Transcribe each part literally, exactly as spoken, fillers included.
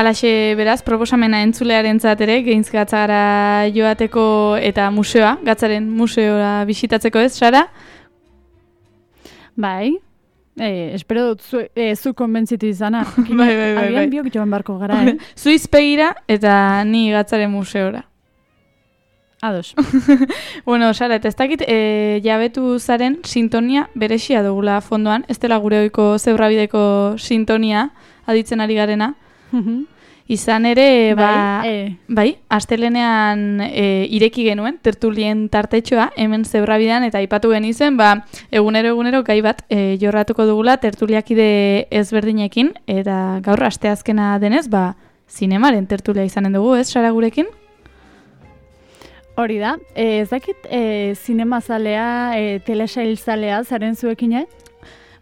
Alaxe beraz, proposamena entzulearentzat ere, Gehintz Gatzara joateko eta museoa, Gatzaren museora bisitatzeko ez, Sara? Bai, e, espero dut zu, e, zu konbentzitu izana. bai, bai, bai. Agian bai. biok joan barko gara, eh? Zu izpegira eta ni Gatzaren museora. Ados. Bueno, Sara, eta ez dakit, e, jabetu zaren sintonia berexia dugula fondoan, ez dela gure oiko zebrabideko sintonia aditzen ari garena. Izan ere, ba, bai, e. bai, astelenean e, ireki genuen, tertulien tartetxoa, hemen zebrabidean, eta aipatu genizen, ba, egunero egunero gai bat e, jorratuko dugula tertuliakide ezberdinekin, eta gaur asteazkena denez, ba, zinemaren tertulia izanen dugu, ez, Sara gurekin? Hori da, e, ez dakit e, zinemazalea, e, telesailzalea zaren zuekin, eh?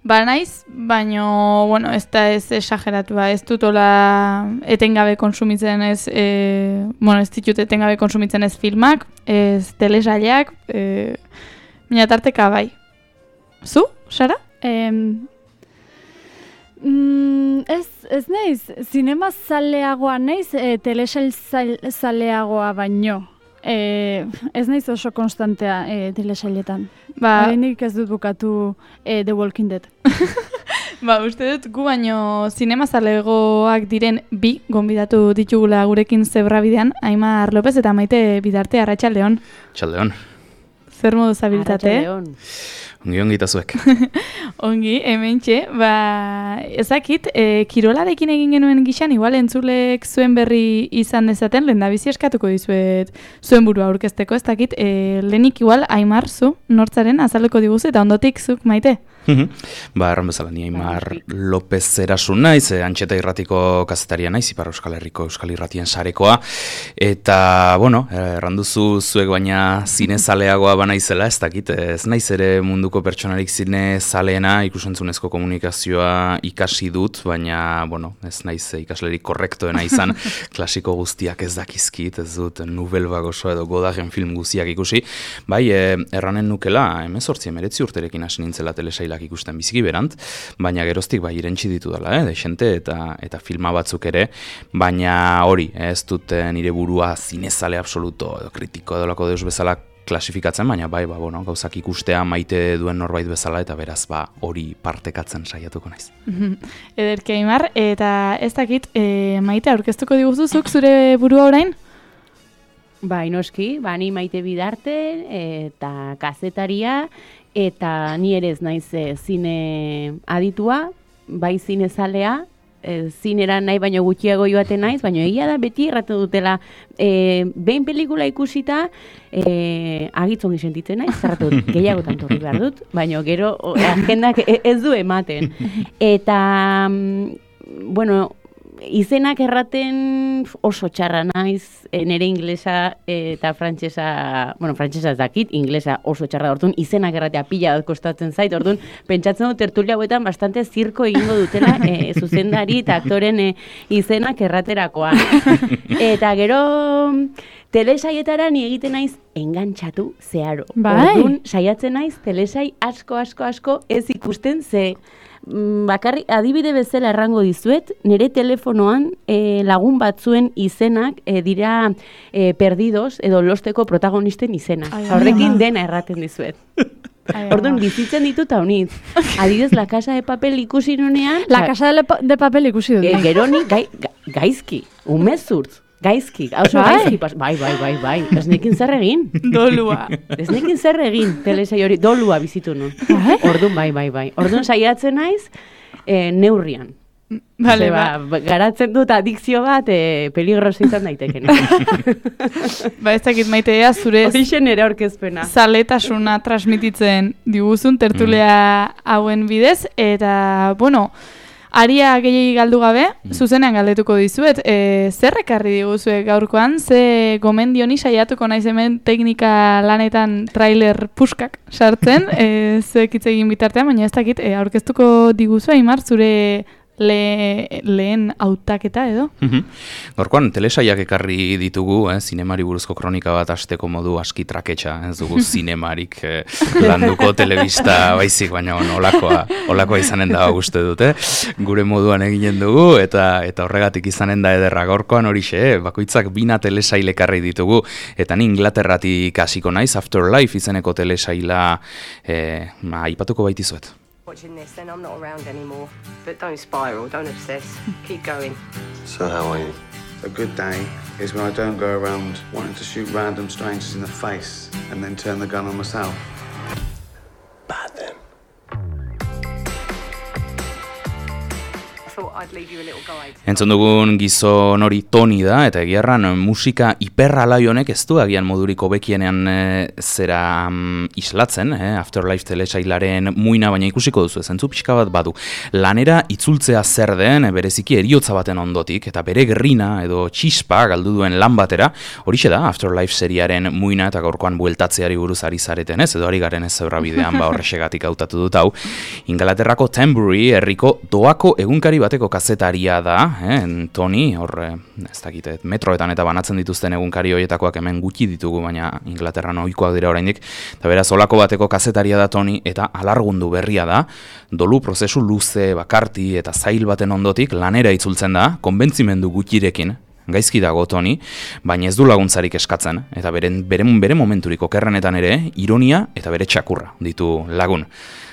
Ba naiz, baino, bueno, ez da ez esageratua, ez dutola etengabe konsumitzen ez, e, bueno, ez ditut etengabe konsumitzen ez filmak, ez telesailak, e, mina tarteka bai. Zu, Sara? E, mm, ez, ez naiz, zinemazaleagoa naiz, e, telesailzaleagoa baino. E, ez naiz oso konstantea e, telesailetan. Ba, Horreinik ez dut bukatu e, The Walking Dead. ba, uste dut gu baino zinemazalegoak diren bi gonbidatu ditugula gurekin zebrabidean, Aimar López eta Maite Bidarte, arratsaldeon. Txaldeon. Zer modu zabiltate? Arratsaldeon. Ongi ongi eta zuek. Ongi, hementxe, ba, ezakit, e, kirolarekin egin genuen gixan, igual entzulek zuen berri izan dezaten, lehendabizi eskatuko dizuet zuen burua aurkezteko, ez dakit, e, lehenik igual Aimar zu, nortzaren, azaleko diguzu, eta ondotik zuk, Maite? Ba, erran bezala, ni Aimar López Erasun naiz, e, Antxeta Irratiko kazetaria naiz, Ipar Euskal Herriko Euskal Irratien sarekoa, eta, bueno, erran duzu zuek baina zinezaleagoa banaizela, ez dakit, ez naiz ere munduko pertsonarik zinezaleena, ikusentzunezko komunikazioa ikasi dut, baina, bueno, ez naiz ikaslerik korrektoena izan, klasiko guztiak ez dakizkit, ez dut Nouvelle Vague oso edo Godaren film guztiak ikusi, bai, e, erranen nukela, hemezortzi hemeretzi urterekin hasi nintzela telesailak ikusten biziki berant, baina geroztik bai irentsi ditu dela, eh, desente eta eta filma batzuk ere, baina hori, ez dut nire burua zinezale absoluto edo kritiko edolako deus bezala klasifikatzen, baina bai, ba, bueno, gauzak ikustea maite duen norbait bezala eta beraz ba hori partekatzen saiatuko naiz. Ederki Aimar, eta ez dakit, e, Maite aurkeztuko diguzuzuk zure burua orain? Ba, inoski, ba, ni Maite Bidarte eta kazetaria, eta ni ere ez naiz e, zine aditua, bai zinezalea, e, zinera nahi baino gutxiago joaten naiz, baino egia da beti erratu dutela e, behin pelikula ikusita e, agitzongi sentitzen naiz, erratu dut, gehiagotan torri behar dut, baino gero o, agendak ez du ematen. Eta, bueno, izenak erraten oso txarra naiz, e, nire inglesa e, eta frantsesa, bueno, frantsesa ez dakit, inglesa oso txarra, orduan izenak erratea pila bat kostatzen zait, orduan pentsatzen dut tertulia hauetan bastante zirko egingo dutela e, zuzendari eta aktoren e, izenak erraterakoan. Eta gero telesaietara ni egiten naiz engantxatu zeharo. Bai. Orduan saiatzen naiz telesai asko, asko, asko ez ikusten ze bakarri adibide bezala errango dizuet, nire telefonoan e, lagun batzuen izenak e, dira e, perdidos edo losteko protagonisten izenak. Horrekin dena erraten dizuet. Orduan bizitzen ditut haunitz. Adibidez, La Casa de Papel ikusi nunean. La Casa de, de Papel ikusi dut. E, geroni gai, ga, gaizki, umezurtz. Gaizki, oso bai. gaizki, pas, bai, bai, bai, bai, ez nekin zer egin. Dolua. Ez nekin zer egin, telesai hori, dolua bizitu nun. Orduan, bai, bai, bai. Orduan saiatzen naiz, e, neurrian. Vale, ba, ba. Garatzen dut adikzio bat, e, peligroso izan daiteken. Ba, ez dakit Maitea zure Horixen ere aurkezpena. zaletasuna transmititzen diguzun tertulia hauen bidez, eta, bueno, aria gehiagi galdu gabe, zuzenean galdetuko dizuet, e, zer ekarri diguzue gaurkoan, ze gomendioni saiatuko naiz hemen teknika lanetan trailer puskak sartzen, e, zuek hitz egin bitartean, baina ez dakit, e, aurkeztuko diguzue, Aimar, zure le, lehen hautaketa edo. Gorkoan, telesaiak ekarri ditugu, eh, zinemari buruzko kronika bat asteko modu aski traketxa, ez dugu zinemarik eh, landuko telebista baizik, baina on, olakoa, olakoa izanen da uste dute, gure moduan eginen dugu, eta eta horregatik izanen da ederra. Gorkoan horixe, eh, bakoitzak bina telesail ekarri ditugu, eta ni Inglaterratik hasiko naiz, Afterlife izeneko telesaila eh, ma, aipatuko baitizuet. Watching this, then I'm not around anymore. But don't spiral, don't obsess. Keep going. So how are you? A good day is when I don't go around wanting to shoot random strangers in the face and then turn the gun on myself. Bad then. Entzun dugun gizon hori Toni da, eta egiarran musika hiperralai honek ez du agian modurik hobekienean e, zera um, islatzen, eh? Afterlife telesailaren muina, baina ikusiko duzu, zentzu pixka bat badu. Lanera itzultzea zer den, bereziki eriotza baten ondotik, eta bere gerrina edo txispa galdu duen lan batera, horixe da Afterlife seriaren muina, eta gaurkoan bueltatzeari buruz ari zareten ez, edo ari garen ez zeurra bidean ba horrexegatik hautatu dut hau. Ingalaterrako Tembury herriko doako egunkari bateko kazetaria da, eh, Toni, hor, ez dakit, metroetan eta banatzen dituzten egunkari horietakoak hemen gutxi ditugu, baina Inglaterran ohikoak dira oraindik, eta beraz olako bateko kazetaria da Toni, eta alargundu berria da, dolu prozesu luze, bakarti eta zail baten ondotik lanera itzultzen da, konbentzimendu gutxirekin, gaizki dago Toni, baina ez du laguntzarik eskatzen, eta bere, bere, bere momenturik okerrenetan ere, ironia eta bere txakurra ditu lagun.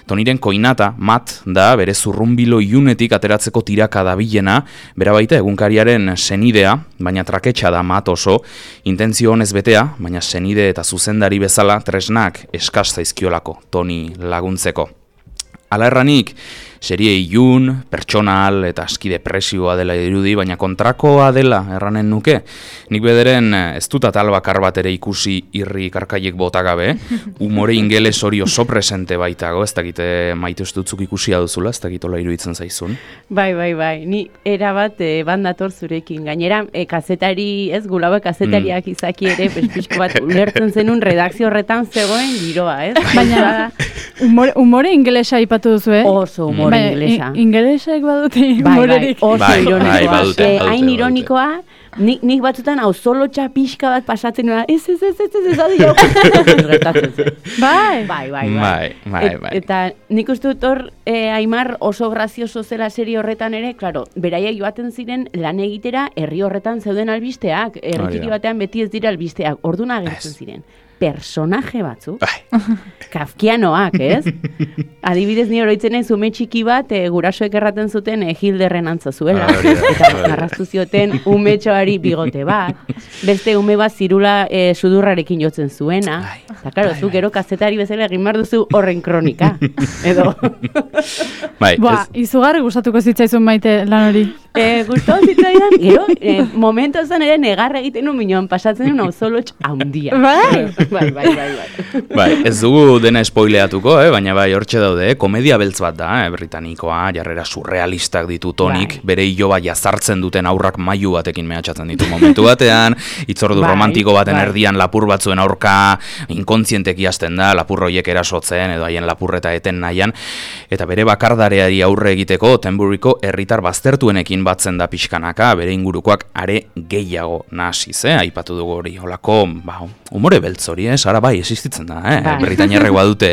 Toniren koinata, Matt, da bere zurrunbilo iunetik ateratzeko tiraka dabilena, bera baita egunkariaren senidea, baina traketxa da Matt oso, intentzio honez betea, baina senide eta zuzendari bezala tresnak eskas zaizkiolako Toni laguntzeko. Hala erranik, serie ilun, pertsonal eta aski depresioa dela dirudi, baina kontrakoa dela erranen nuke. Nik bederen ez dut atal bakar bat ere ikusi irri karkaiek botagabe, umore ingeles hori oso presente baitago, ez dakite maite ustutzuk ikusia duzula, ez dakitola iruditzen zaizun. Bai, bai, bai, ni erabat e, bandator zurekin. Gainera, e, kazetari, ez gulaue kazetariak mm. izaki ere, pizpizko bat ulertzen zenun redakzio horretan zegoen giroa, ez? Baina, umore, umore ingelesa ipatu duzu, eh? Oso umore. Bai, ingelesa. Ingelesak badute humorerik. Bai, bai, oso bai, ironikoa. Bai, badute, badute, hain ironikoa, nik, nik batzutan hau solo txapixka bat pasatzen nuen, ez, ez, ez, ez, ez, ez, adi jau. Bai, bai, bai, bai, bai, bai. Eta nik uste dut hor, eh, Aimar oso grazioso zela serie horretan ere, klaro, beraiek joaten ziren lan egitera herri horretan zeuden albisteak, herri batean beti ez dira albisteak, orduna agertzen ziren. Personaje batzuk, kafkianoak, ez? Adibidez ni oroitzen naiz ume txiki bat e, gurasoek erraten zuten e, Hilderren antza zuela, eta arrastu zioten umetxoari bigote bat, beste ume bat zirula e, sudurrarekin jotzen zuena, eta klaro, zu gero kazetari bezala egin behar duzu horren kronika, edo. Bai, Boa, ez... izugarri gustatuko zitzaizun Maite lan hori. E, Gustatu zitzaidan, gero, e, momentu zen ere negarra egiten un minuan pasatzen un auzolotx handia. Bai, bai, bai, bai, bai. Bai, ez dugu dena spoileatuko, eh? Baina bai hortxe daude, eh? Komedia beltz bat da, eh? Britanikoa, jarrera surrealistak ditu Tonik, bai. Bere iloba jazartzen duten aurrak mailu batekin mehatxatzen ditu momentu batean, itzordu bai, romantiko baten bai. Erdian lapur batzuen aurka inkontzienteki hasten da, lapur horiek erasotzen edo haien lapurreta eten nahian, eta bere bakardareari aurre egiteko Temburyko herritar baztertuenekin batzen da pixkanaka, bere ingurukoak are gehiago nasiz, eh? Aipatu dugu hori, holako, ba, umore beltz hori, eh? Sara bai, existitzen da, eh? Bai. Britainiarrek badute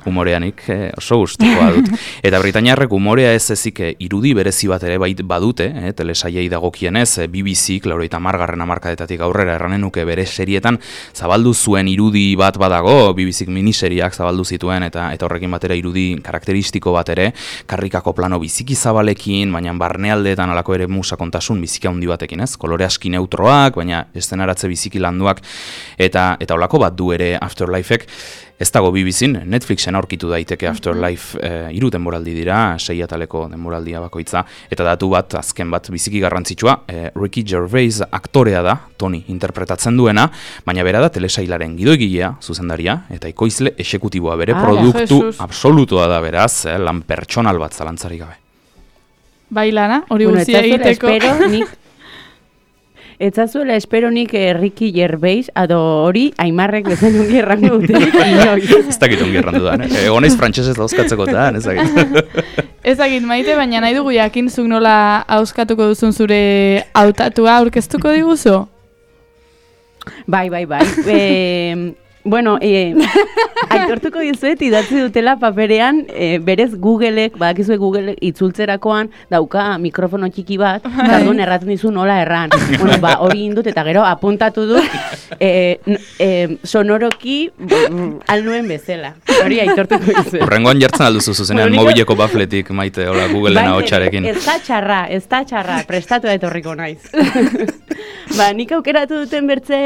umoreanik, eh? Oso guztikoa dut. Eta Britainiarrek umorea ez ezik irudi berezi bat ere bait badute, eh? Telesaiei dagokienez, B B C, laurogeita hamargarren hamarkadetatik aurrera erranen nuke bere serietan zabaldu zuen irudi bat badago, B B C miniseriak zabaldu zituen, eta eta horrekin batera irudi karakteristiko bat ere, karrikako plano biziki zabalekin, baina barnealdeetan alako ere musa kontasun biziki handi batekin, ez? Kolore aski neutroak, baina eszenaratze biziki landuak, eta eta holako bat du ere Afterlifek. Ez dago B B C-n, Netflixen aurkitu daiteke Afterlife eh, hiru denboraldi dira, sei ataleko denboraldia bakoitza, eta datu bat, azken bat, biziki garrantzitsua, eh, Ricky Gervais aktorea da, Toni interpretatzen duena, baina bera da telesailaren gidoigilea, zuzendaria, eta ekoizle exekutiboa bere ah, produktu Jesus. Absolutua da beraz, eh, lan pertsonal bat zalantzarik gabe. Bai lana, hori bueno, guztia egiteko. Espero, nik etzazuela esperonik eh, Ricky Gervais, ado hori, Aimarrek bezen ongi errango dutenik inoiz. Ez dakit ongi errandu da, eh? Egon naiz frantsesez dauzkatzeko da, ez dakit. Ezagit maite, baina nahi dugu jakin zuk nola auskatuko duzun zure hautatua aurkeztuko diguzu? Bai, bai, bai. E, bueno, e, aitortuko dizuet idatzi dutela paperean, e, berez Googleek, badakizue Google itzultzerakoan dauka mikrofono txiki bat, eta orduan erraten dizu nola erran. Bueno, ba, hori indut eta gero apuntatu dut e, e, sonoroki alnuen bezala. Hori aitortuko dizuet. Horrengoan jartzen alduzu zuzenean mobileko bafletik, maite, hola, Googleen ahotsarekin. Ez da txarra, ez da txarra, prestatu da etorriko naiz. Ba, nik aukeratu duten bertze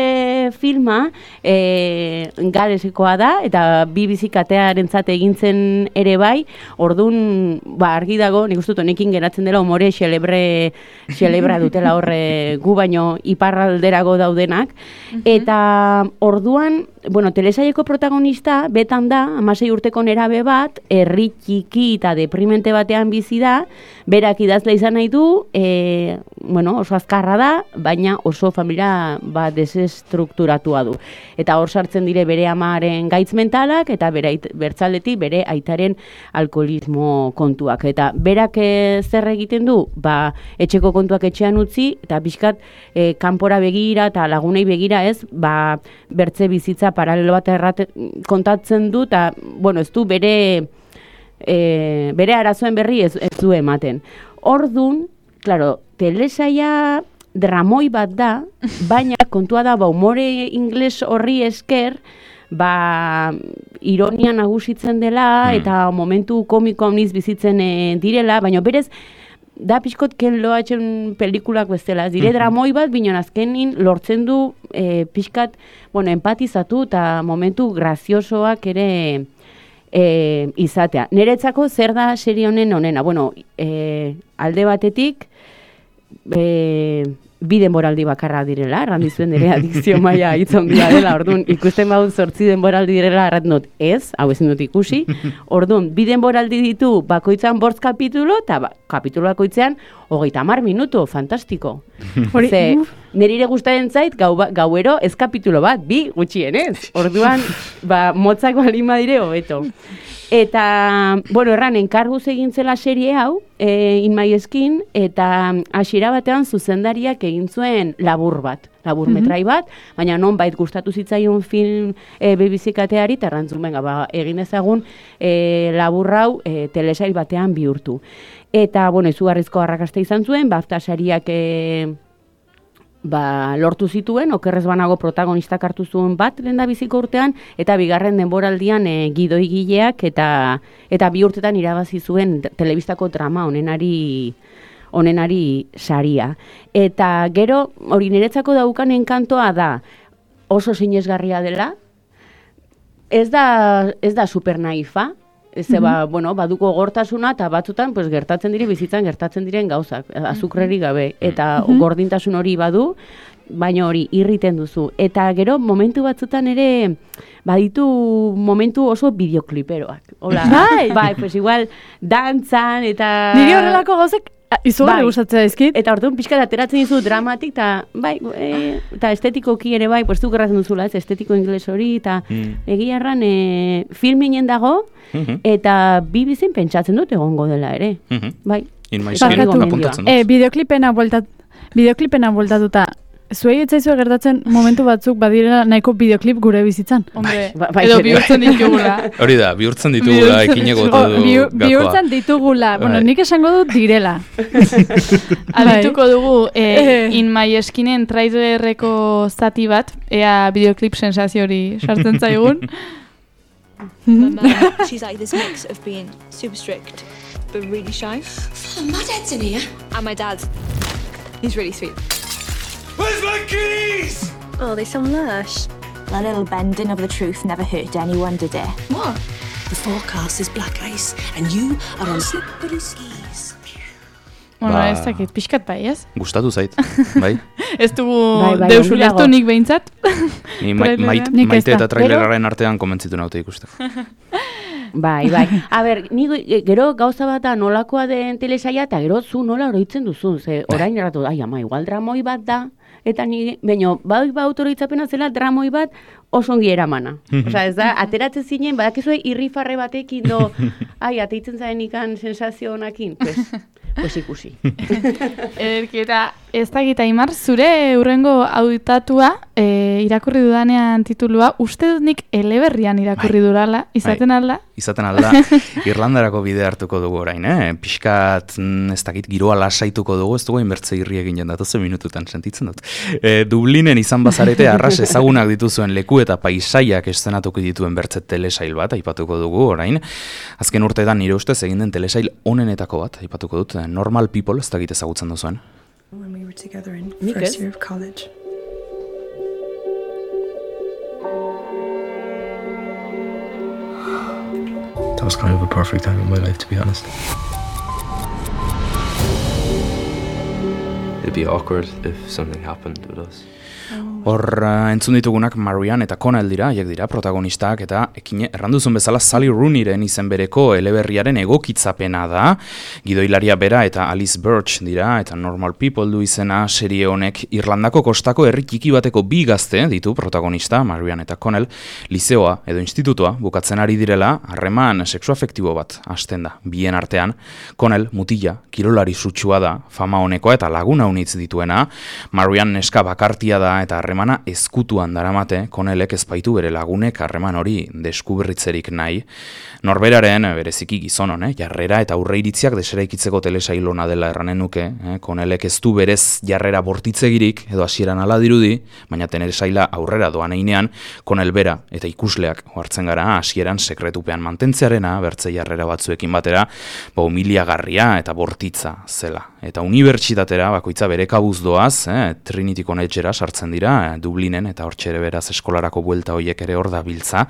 filma, e, galesikoa da, eta bi bizikatearentzat egintzen ere bai, ordun ba, argi dago, nik uste dut honekin geratzen dela umore xelebre, xelebra dutela horre gu baino iparralderago daudenak, eta orduan, bueno, telesaileko protagonista betan da, hamasei urteko nerabe bat, herri txiki eta deprimente batean bizi da, berak idazle izan nahi du, e, bueno, oso azkarra da, baina oso familia ba, desestrukturatua du. Eta hor sartzen dire bere amaren gaitz mentalak, eta bere ait, bertzaldetik bere aitaren alkoholismo kontuak. Eta berak e, zer egiten du, ba, etxeko kontuak etxean utzi, eta pixkat e, kanpora begira eta lagunei begira ez, ba, bertze bizitza paralelo bat errate, kontatzen du, eta, bueno, ez du bere, e, bere arazoen berri ez, ez du ematen. Ordun, claro, telesaia dramoi bat da, baina kontua da, ba, umore ingles horri esker, ba, ironia nagusitzen dela, eta momentu komiko honiz bizitzen e, direla, baina berez, da pixkot Ken Loachen pelikulak bezala, dire dramoi bat, binon azkenin lortzen du e, pixkat, bueno, empatizatu eta momentu graziosoak ere e, izatea. Niretzako zer da serie honen honena? Bueno, e, alde batetik, e, bi denboraldi bakarra direla, errandizuen ere adikzio maila hitz handia dela, orduan ikusten badut zortzi denboraldi direla, erraten dut ez, hau ezin dut ikusi, orduan bi denboraldi ditu bakoitzan bortz kapitulo, eta ba, kapitulo bakoitzean hogeita hamar minutu, fantastiko. Ze, nire gustaren zait, gau, gauero ez kapitulo bat, bi gutxienez, orduan, ba, motzak balin badire hobeto. Eta, bueno, erran, enkarguz egin zela serie hau, e, In My Skin, eta hasiera batean zuzendariak egin zuen labur bat, labur metrai bat, baina non bait gustatu zitzaion film e, bebizikateari, eta errantzun, benga, ba, egin ezagun e, labur hau e, telesail batean bihurtu. Eta, bueno, izugarrizko arrakasta izan zuen, BAFTA sariak e, ba, lortu zituen, okerrez banago protagonistak hartu zuen bat lehendabiziko urtean, eta bigarren denboraldian e, gidoigileak eta eta bi urtetan irabazi zuen telebistako drama onenari onenari saria. Eta gero, hori niretzako daukan enkantoa da, oso sinesgarria dela, ez da, ez da super naifa, ez ba, bueno, baduko gortasuna eta batzutan pues, gertatzen dire, bizitzan gertatzen diren gauzak, azukrerik gabe, eta gordintasun hori badu, baina hori irriten duzu. Eta gero momentu batzutan ere baditu momentu oso bideokliperoak. Hola, bai, bai, pues igual dantzan eta... Nire horrelako gauzek izugarri bai. Gustatzen daizkit. Eta orduan pixka ateratzen dizu dramatik, eta bai, e, eta estetikoki ere bai, pues, du gerratzen duzula, ez, estetiko ingles hori, eta mm. egia erran e, filminen dago, mm-hmm. eta bi bizin pentsatzen dut egongo dela ere. Mm-hmm. Bai. In My Skin apuntatzen dut. E, bideoklipena bueltat, bideoklipena bueltatuta, zuei etzaizue gertatzen momentu batzuk badirela nahiko bideoklip gure bizitzan. Hombre, ba, ba, edo bihurtzen ditugula. Hori da, bihurtzen ditugula, ekineko du gakoa. Bihurtzen ditugula, bueno, nik esango dut direla. Adituko dugu eh, In My Skinen trailerreko zati bat, ea bideoklip sensazio hori sartzen zaigun. She's like this mix of being super strict, but really shy. My dad's in here. And my dad, he's really sweet. Where's my keys? Oh, they sound lush. A little bending of the truth never hurt anyone, did it? What? The forecast is black ice, and you are on slippery skis. Bueno, ez dakit, pixkat bai, ez? Gustatu zait, bai? Ez dugu bai, bai, deus ulertu nik behintzat. Ni ma mait, maite eta traileraren artean komentzitu naute ikusteko. Bai, bai. A ber, ni gero gauza bat da nolakoa den telesaia, eta gero zu nola oroitzen duzu. Ze orain erratu, ai ama, igual dramoi bat da, eta ni, baino, bai ba autoroitzapena zela dramoi bat oso ongi eramana. Osea, ez da, ateratzen zinen, badakizue irrifarre batekin do, ai, ateitzen zaren ikan sensazio honakin, pues, pues ikusi. Ederki, eta ez da gita Aimar, zure urrengo hautatua e, irakurri dudanean titulua, uste dut nik eleberrian irakurri bai. Durala, izaten bai. Alda? Izaten alda, Irlandarako bide hartuko dugu orain, eh? Piskat, ez dakit, giroa lasaituko dugu, ez dugu inbertze irri egin jendatu minututan sentitzen dut. E, Dublinen izan bazarete arras ezagunak dituzuen leku eta paisaiak eszenatuko dituen bertze telesail bat, aipatuko dugu orain. Azken urteetan nire ustez egin den telesail onenetako bat, aipatuko dut, Normal People, ez dakit ezagutzen duzuen. When we were together in first year of college. That was kind of a perfect time in my life, to be honest. It'd be awkward if something happened with us. Hor uh, entzun ditugunak Marianne eta Connell dira, haiek dira protagonistak, eta ekine erranduzun bezala Sally Rooneyren izen bereko eleberriaren egokitzapena da. Gidoilaria bera eta Alice Birch dira, eta Normal People du izena serie honek. Irlandako kostako herri txiki bateko bi gazte ditu protagonista, Marianne eta Connell, lizeoa edo institutoa bukatzen ari direla, harreman sexuafektibo bat hasten da. Bien artean, Connell mutila, kirolari sutsua da, fama honekoa eta laguna unitz dituena, Marianne neska bakartia da eta harreman harremana ezkutuan daramate, Connellek ezpaitu bere lagunek harreman hori deskuberritzerik nahi. Norberaren, bereziki gizon hone, jarrera eta aurreiritziak deseraikitzeko telesailona dela erranen nuke, eh? Connellek ez du berez jarrera bortitzegirik, edo hasieran ala dirudi, baina telesaila aurrera doan einean, Connell bera eta ikusleak hartzen gara hasieran sekretupean mantentzearena, bertze jarrera batzuekin batera, ba humiliagarria eta bortitza zela. Eta unibertsitatera bakoitza bere kabuz doaz, eh? Trinity Collegera sartzen dira, Dublinen, eta hortxe ere beraz eskolarako buelta hoiek ere hor da biltza.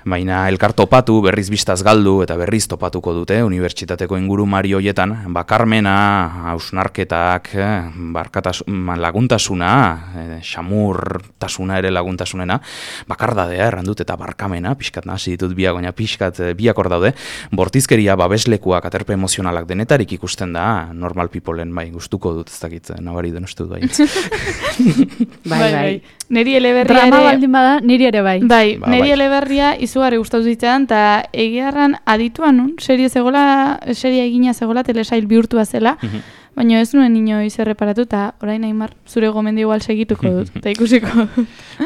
Baina elkar topatu, berriz bistaz galdu eta berriz topatuko dute unibertsitateko ingurumari hoietan, bakarmena, hausnarketak, laguntasuna, xamurtasuna ere laguntasunena, bakardadea errandut eta barkamena, pixkat nahasi ditut biak, baina pixkat biak hor daude, bortizkeria, babeslekuak, aterpe emozionalak denetarik ikusten da, Normal Peopleen, bai, gustuko dut, ez dakit, nabari den uste dut, bai. Bai, bai. Neri eleberria Drama ere... baldin bada, niri ere bai. Bai, ba, neri bai. eleberria izugarri gustatu zitzaidan, eta egiarran adituan nun, serie zegola, serie egina zegola, telesail bihurtua zela, baina ez nuen inoiz erreparatu, eta orain Aimar, zure gomendi igual segituko dut, eta ikusiko.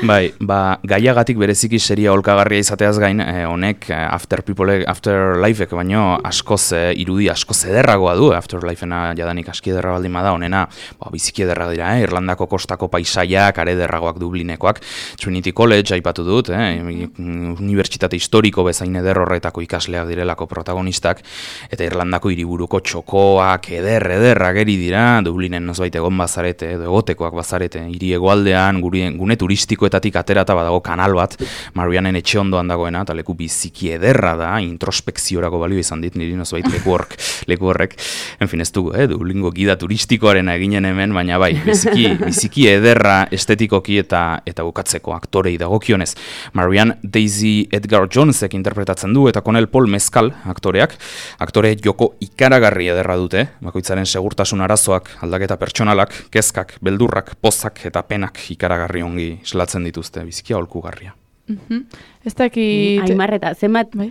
Bai, ba, gaiagatik bereziki seria olkagarria izateaz gain, eh, honek eh, After People, Afterlifek baino askoz eh, irudi askoz ederragoa du, Afterlifena jadanik aski ederra baldin bada, honena, ba, biziki ederra dira, eh, Irlandako kostako paisaiak, are ederragoak Dublinekoak, Trinity College aipatu dut, eh, unibertsitate historiko bezain eder horretako ikasleak direlako protagonistak, eta Irlandako hiriburuko txokoak, eder, ederrak ageri dira, Dublinen nozbait egon bazarete, edo egotekoak bazarete, hiri hegoaldean, gune turistikoetatik aterata badago kanal bat, Marianen etxe ondoan dagoena, eta leku biziki ederra da, introspekziorako balio izan dit, niri nozbait leku horrek, leku horrek, en fin ez dugu, eh, Dublingo gida turistikoaren eginen hemen, baina bai, biziki, biziki ederra estetikoki eta eta bukatzeko aktorei dagokionez. Marianne Daisy Edgar Jonesek interpretatzen du, eta Connell Paul Mescal aktoreak, aktore joko ikaragarri ederra dute, bakoitzaren segurtasun arazoak, aldaketa pertsonalak, kezkak, beldurrak, pozak eta penak ikaragarri ongi islatzen dituzte, biziki aholkugarria. Mm-hmm. Ez dakit... Aimar, eta zenbat, bai?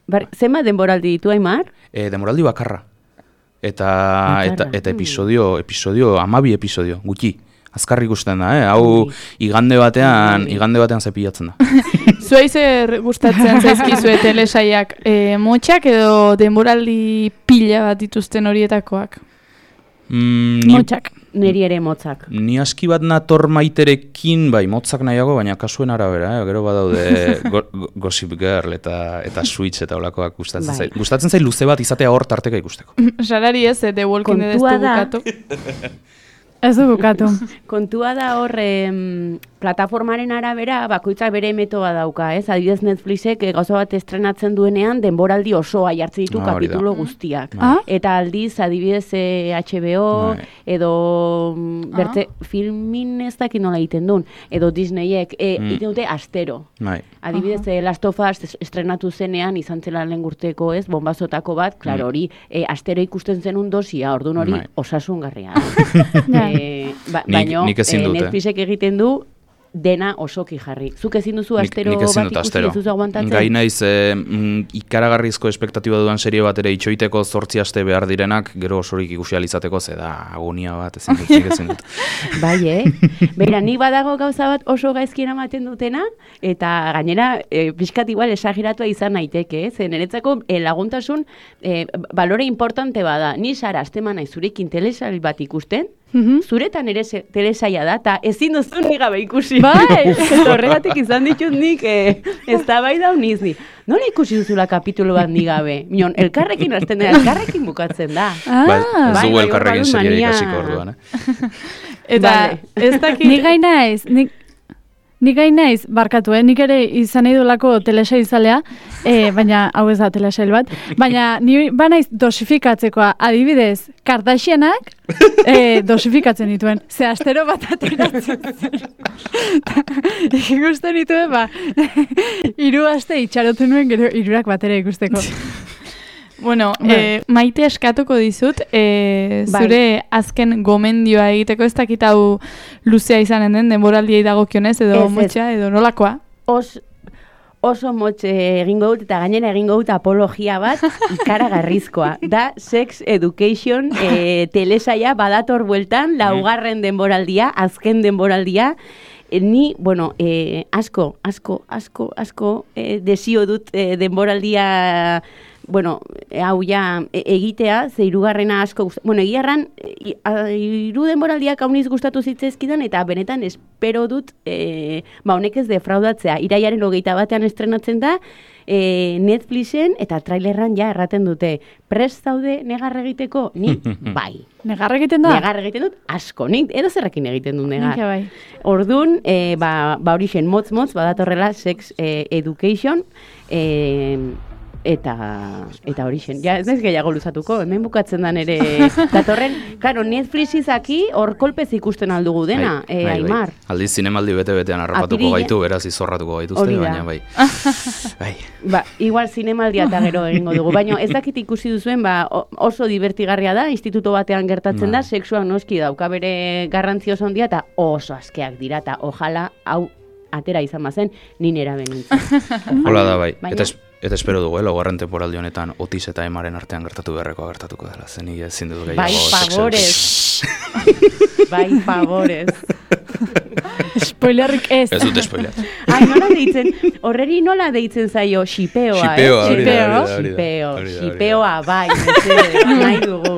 Bar, zenbat denboraldi ditu, Aimar? E, denboraldi bakarra. Eta, eta, eta episodio, episodio, amabi episodio, gutxi. Azkarri ikusten da, eh? Hau igande batean, igande batean zepilatzen da. Zuei zer gustatzen zaizkizue telesaiak, e, motxak edo denboraldi pila bat dituzten horietakoak? Mm, ni, Motzak. Neri ere motzak. Ni aski bat nator maiterekin, bai, motzak nahiago, baina kasuen arabera, eh? Gero badaude go, go, Gossip Girl eta eta Switch eta olakoak gustatzen bai. zait. Gustatzen zait luze bat izatea hor tarteka ikusteko. Salari ez, The Walking Dead ez du bukatu. Ez du bukatu. Kontua da hor, em, plataformaren arabera bakoitzak bere metoda dauka, ez? Adibidez Netflixek eh, gauza bat estrenatzen duenean denboraldi osoa jartzen ditu Ah, hori kapitulo da. guztiak. Ah? Eta aldiz adibidez eh, H B O Bai. edo mm, bertze filmin ez dakit nola egiten duen, edo Disneyek eh, Mm. egiten dute astero. Bai. Adibidez, eh, Last of Us es- estrenatu zenean izan zela lehen urteko, ez, bombazotako bat, klaro Mm. hori, eh, astero ikusten zenun dosia, orduan hori Bai. osasungarria. Ja. eh, ba, Nik- baino, nik ezin eh, dut, eh. Netflixek egiten du dena osoki jarri. Zuk ezin duzu Nik- astero nik ezin bat dut ikusi, astero. ez duzu aguantatzen? Gai naiz, eh, mm, ikaragarrizko espektatiba duan serie bat ere itxoiteko zortzi aste behar direnak, gero osorik ikusi alizateko, ze da agonia bat, ezin dut, nik ezin dut. Bai, eh? Beira, nik badago gauza bat oso gaizkien ematen dutena, eta gainera, e, pixkat igual esageratua izan naiteke, eh? Zen, niretzako e, laguntasun e, balore importante bada. Ni Sara, aztema nahi zurekin telesail bat ikusten, zuretan ere se- telesaila da, eta ezin duzu ni gabe ikusi. Bai. Eta horregatik izan ditut nik, eh, ez da bai da uniz ni. Nola ikusi duzula kapitulu bat ni gabe? Minon, elkarrekin hasten da, elkarrekin bukatzen da. Ah, Ba, ez bai, dugu bai, elkarrekin hor badu serierik mania. hasiko orduan, eh? Eta Vale. ez dakit... Ni gai naiz, nik, nik gai naiz, barkatu, eh? Nik ere izan nahi dulako telesail zalea, eh, baina hau ez da telesail bat, baina ni ba naiz dosifikatzekoa, adibidez, Kardashianak eh, dosifikatzen dituen, ze astero bat ateratzen zen. Ikusten dituen, ba, hiru aste itxarotu nuen gero hirurak batera ikusteko. Bueno, Bai. eh, maite eskatuko dizut, eh, Bai. zure azken gomendioa egiteko, ez dakit hau luzea izanen den, denboraldiei dagokionez, edo Ez, ez. motxa, edo nolakoa. Os, oso motx eh, egingo dut, eta gainera egingo dut apologia bat ikaragarrizkoa. Da Sex Education eh, telesaia badator bueltan, laugarren denboraldia, azken denboraldia, Eh, ni, bueno, eh, asko, asko, asko, asko eh, desio dut eh, denboraldia, bueno, eh, hau ja e- egitea, ze hirugarrena asko gust- bueno, egiarran, eh, a- hiru denboraldiak hauniz gustatu zitzaizkidan, eta benetan espero dut, eh, ba, honek ez defraudatzea, iraiaren hogeita batean estrenatzen da, eh, Netflixen, eta trailerran ja erraten dute, prest zaude negar egiteko? Ni, bai. Negar egiten da? Negar egiten dut, asko, nik edo zerrekin egiten dut negar. Nik bai. Orduan, e, ba, ba hori zen, motz-motz, badatorrela Sex eh, Education, e, eta eta hori zen. Ja, ez naiz gehiago luzatuko, hemen bukatzen da nere datorren. Karo, Netflix izaki, hor kolpez ikusten aldugu dena, Bai, e, bai, bai. Aimar. Aldiz zinemaldi bete-betean harrapatuko Apirila- gaitu, beraz izorratuko gaituzte, Hori da. baina bai. Bai. Ba, igual zinemaldia eta gero egingo dugu, baina ez dakit ikusi duzuen, ba, o- oso divertigarria da, instituto batean gertatzen da, Bai. sexuak noski dauka bere garrantzi oso handia, eta oso askeak dira, eta ojala hau atera izan bazen, ninera benintzen. Hola da bai. Baina- Eta, es, eta espero dugu, eh, laugarren temporaldi honetan Otis eta Emaren artean gertatu beharrekoa gertatuko dela. Zenik ezin dut gehiago. Bai, sexu- favorez. Bai, favorez. Spoilerrik ez. Ez dut spoiler. Ai, nola deitzen, horreri nola deitzen zaio, xipeoa, eh? Xipeoa, hori da, Xipeo. hori da, hori da, Xipeo, hori da, hori da. xipeoa, bai, mesedez, nahi dugu.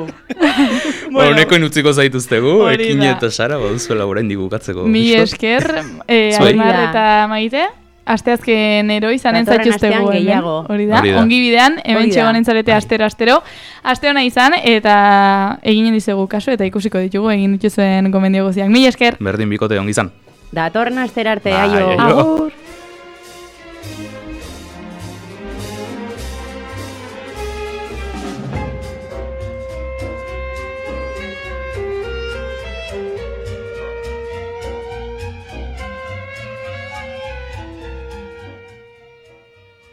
Bueno, honeko utziko zaituztegu, Hori Ekin da. eta Sara, baduzuela oraindik bukatzeko. Mi pixkat. esker, eh, Zuei. Aimar Hori da. eta Maite, asteazken ero izanen Datorren zaituztegu astean hemen. gehiago. Hori da, Hori da. ongi bidean, hemen Hori da. txegonen zarete astero-astero. Aste hona izan, eta eginen dizegu kaso, eta ikusiko ditugu egin dituzuen gomendio guziak. Mi esker! Berdin bikote ongi izan. Datorren astera arte, Bai, aio. aio. Agur.